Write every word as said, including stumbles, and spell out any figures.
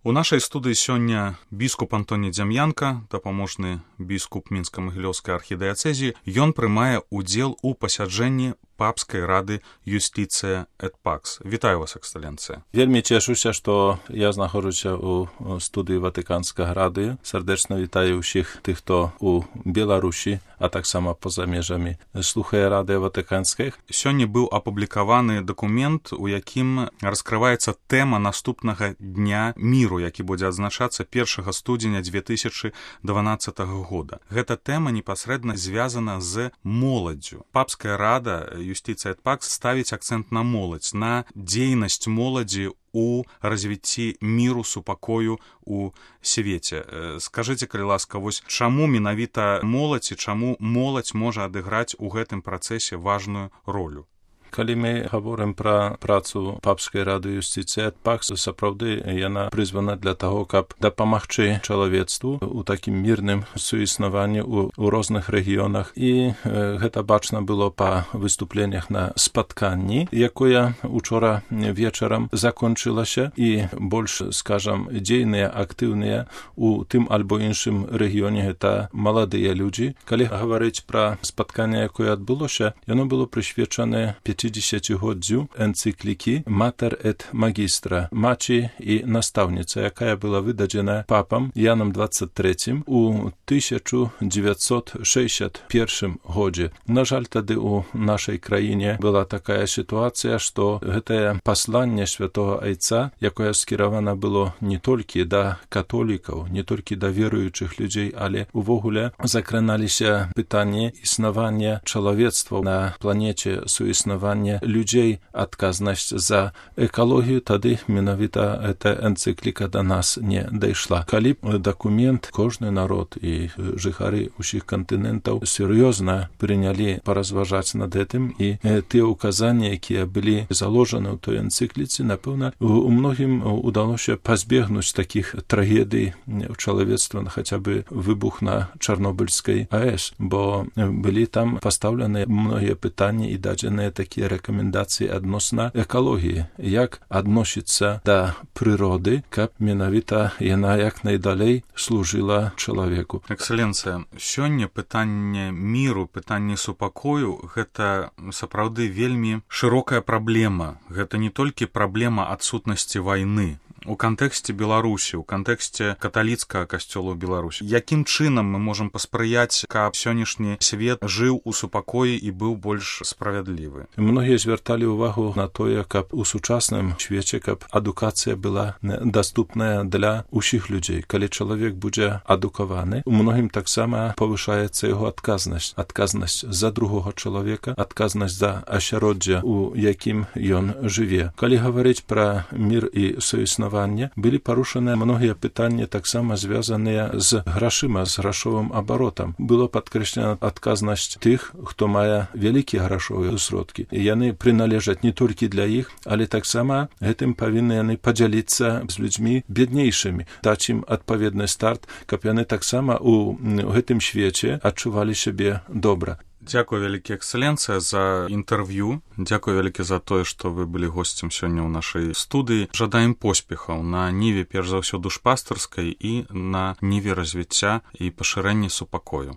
У нашай студыі сёння біскуп Антоні Дзям'янка, дапаможны біскуп Мінска-Магілёўскай архідыяцэзіі. Ён прымае ўдзел у пасяджэнні папскай рады Юстицыя et Pax. Вітаю вас, эксцэленцыя. Вельмі цешуся, што я знаходжуся ў студыі Ватыканскага рады. Сардэчна вітаю ўсіх тых, хто у Беларусі, а таксама па-за межамі слухае рады Ватыканскай. Сёння быў апублікаваны дакумент, у якім раскрываецца тэма наступнага дня міру, які будзе адзначацца першага студзеня дзве тысячы дванаццатага года. Гэта тэма непасрэдна звязана з моладдзю. Папская рада Юстицыя et Pax ставіць акцэнт на моладзь, на дзейнасць моладзі у развіцці міру, супакою у свеце. Скажыце, калі ласка, вось чаму менавіта моладзь і чаму моладзь можа адыграць у гэтым працэсе важную ролю? Калі мы гаворым пра працу папскай рады Юстицыя et Pax, сапраўды яна прызвана для таго, каб дапамагчы чалавецтву у такім мірным суіснаванні ў, у розных рэгіёнах. І э, гэта бачна было па выступленнях на спатканні, якое учора вечарам закончылася, і больш, скажам, дзейныя, актыўныя у тым альбо іншым рэгіёне гэта маладыя людзі. Калі гаварыць пра спатканне, якое адбылося, яно было прысвечанае пяцідзесяцігоддзю энцыклікі Mater et Magistra, маці і настаўніца, якая была выдадзена папам Янам двадцать третьим у тысяча девятьсот шестьдесят первым годзе. На жаль, тады у нашай краіне была такая сітуацыя, што гэтае пасланне святого айца, якое скіравана было не толькі да католікаў, не толькі да веруючых людзей, але увогуле закраналіся пытанні існавання чалавецтва на планеце, суіснавання людзей, адказнасць за экалогію, тады менавіта эта энцыкліка да нас не дайшла. Калі б дакумент кожны народ і жыхары ўсіх кантынентаў сур'ёзна прынялі паразважаць над гэтым, і тыя ўказанні, якія былі заложаны ў той энцыкліцы, напэўна, у многім удалося пазбегнуць такіх трагедый ў чалавецтва, хаця бы выбух на Чарнобыльскай АЭС, бо былі там пастаўленыя многія пытанні і дадзеныя такія рэкамендацыі адносна экалогіі, як адносіцца да прыроды, каб менавіта яна як найдалей служыла чалавеку. Эксцэленцыя, сёння пытанне міру, пытанне супакою — гэта сапраўды вельмі шырокая праблема. Гэта не толькі праблема адсутнасці вайны. У кантэксце Беларусі, у кантэксце каталіцкага касцёла ў Беларусі. Якім чынам мы можам паспрыяць, каб сённяшні свет жыў у супакоі і быў больш справядлівы? Многія звярталі ўвагу на тое, каб у сучасным свеце, каб адукацыя была даступная для ўсіх людзей. Калі чалавек будзе адукаваны, у многім таксама павышаецца яго адказнасць. Адказнасць за другога чалавека, адказнасць за асяроддзе, у якім ён жыве. Калі гаварыць пра мір і суіснаванне, былі парушаныя многія пытанні, таксама звязаныя з грашыма, з грашовым абаротам. Было падкрэслена адказнасць тых, хто мае вялікія грашовыя сродкі. Яны прыналежаць не толькі для іх, але таксама гэтым павінны яны падзяліцца з людзьмі беднейшымі, даць ім адпаведны старт, каб яны таксама у гэтым свеце адчувалі сябе добра. Дзякую вялікі, эксцэленцыя, за інтэрв'ю. Дзякую вялікі за тое, што вы былі госцем сёння ў нашай студыі. Жадаем поспехаў на ніве, перш за ўсё, душпастырскай і на ніве развіцця і пашырэння супакою.